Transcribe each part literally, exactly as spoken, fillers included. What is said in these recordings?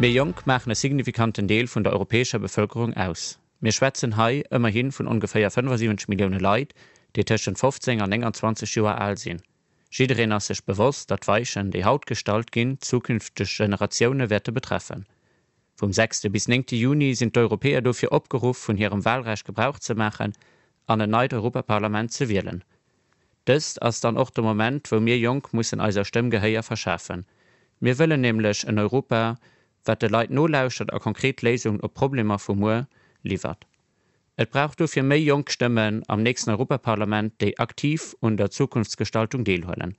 Mir Jonk maachen e signifikanten Deel vun der europäescher Bevëlkerung aus. Mir schwätzen hei ëmmerhi vun ongeféier fënnefasiwwenzeg Millioune Leit, déi tëschent fofzéng an nénganzwanzeg Joer al sinn. Jiddereen ass sech bewosst, datt d'Weichen, déi haut gestallt ginn, zukünfteg Generatioune wäerte betreffen. Vum sechste bis néngte Juni sinn d'Europäer dofir opgeruff, vun hirem Walrecht Gebrauch ze maachen an en neit Europaparlament ze wielen. Dëst ass dann och de Moment, wou mir Jonk mussen eiser Stëmm Gehéier verschafen. Mir wëllen nämlech en Europa, wat de Leit nolauschtert a konkret Léisungen op d'Problemer vu muer liwwert. Et brauch dofir méi jonk Stëmmen am nächsten Europaparlament, déi aktiv un der Zukunftsgestaltung deelhuelen.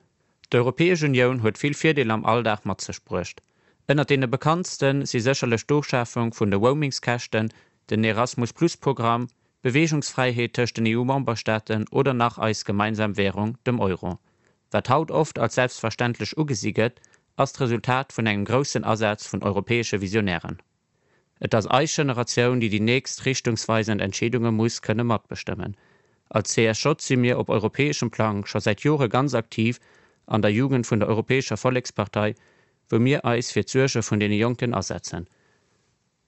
D'Europäesch Unioun huet vill Virdeeler am Alldag mat sech bruecht. Ënnert deene bekanntste si sécherlech d'Ofschafung vun de Roamingskäschten, den Erasmus-Plus-Programm, d'Beweegungsfräiheet tëscht den E U-Memberstaaten oder nach eis gemeinsam Wärung, dem Euro. Wat haut oft als selbstverständlech ugesi gëtt, ass d'Resultat vun engem groussen Asaz vun europäesche Visionären. Et ass eis Generatioun, déi déi nächst richtungsweisend Entscheedunge muss kënne matbestëmmen. Als C S J si mir op europäeschem Plang scho säit Jore ganz aktiv an der Jugend vun der Europäescher Vollekspartei, wou mir eis fir d'Suerge vun deene Jonken asetzen.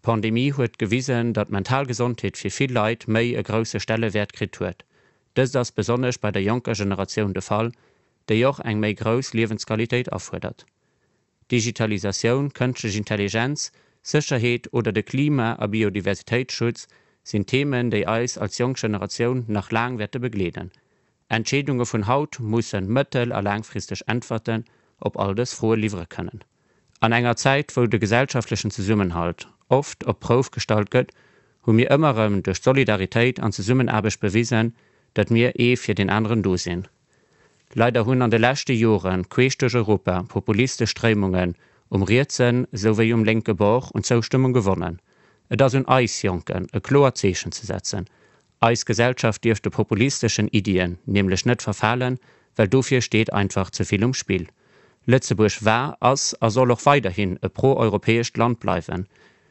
D'Pandemie huet gewisen, datt d'mental Gesondheet fir vill Leit méi e grousse Stellewäert kritt huet. Dëst ass besonnesch bei der jonker Generatioun de Fall, déi och eng méi grouss Liewensqualitéit afuerdert. Digitalisatioun, kënschtlech Intelligenz, Sécherheet oder de Klima a Biodiversitéitsschutz sinn Themen, déi eis als jonk Generatioun nach laang wäerte begleeden. Entscheedunge vun haut mussen mëttel a laangfristeg Äntwerten op all dës Froe liwwere kënnen. An enger Zäit, wou de gesellschaftlechen Zesummenhalt oft op d'Prouf gestallt gëtt, hu mir ëmmer erëm duerch Solidaritéit an Zesummenaarbecht bewisen, datt mir ee fir deen aneren do sinn. Leider hunn an de leschte Jore queesch duerch Europa populistesch Stréimungen um rietsen souwéi um lénke Bord un Zoustëmmung gewonnen. Et ass un eis Jonken, e kloert Zeechen ze setzen. Eis Gesellschaft dierf de populisteschen Iddien nämlech net verfalen, well dofir steet einfach ze vill um Spill. Lëtzebuerg war, ass a soll och weiderhin e pro-europäescht Land bleiwen.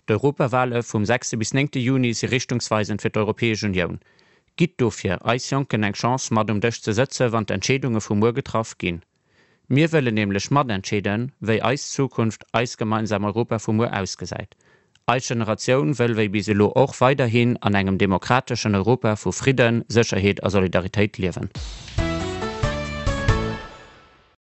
D'Europawale vum sechste bis néngte Juni si richtungsweisend fir d'Europäesch Unioun. Gitt dofir eis Jonken eng Chance mat um Dësch ze sëtze wann d'Entscheedunge vu muer getraff ginn. Mir wëllen nämlech matentscheeden, wéi eis Zukunft, eist gemeinsam Europa vu muer ausgesäit. Eis Generatioun wëll wéi bis elo och weiderhin an engem demokrateschen Europa vu Fridden, Sécherheet a Solidaritéit liewen.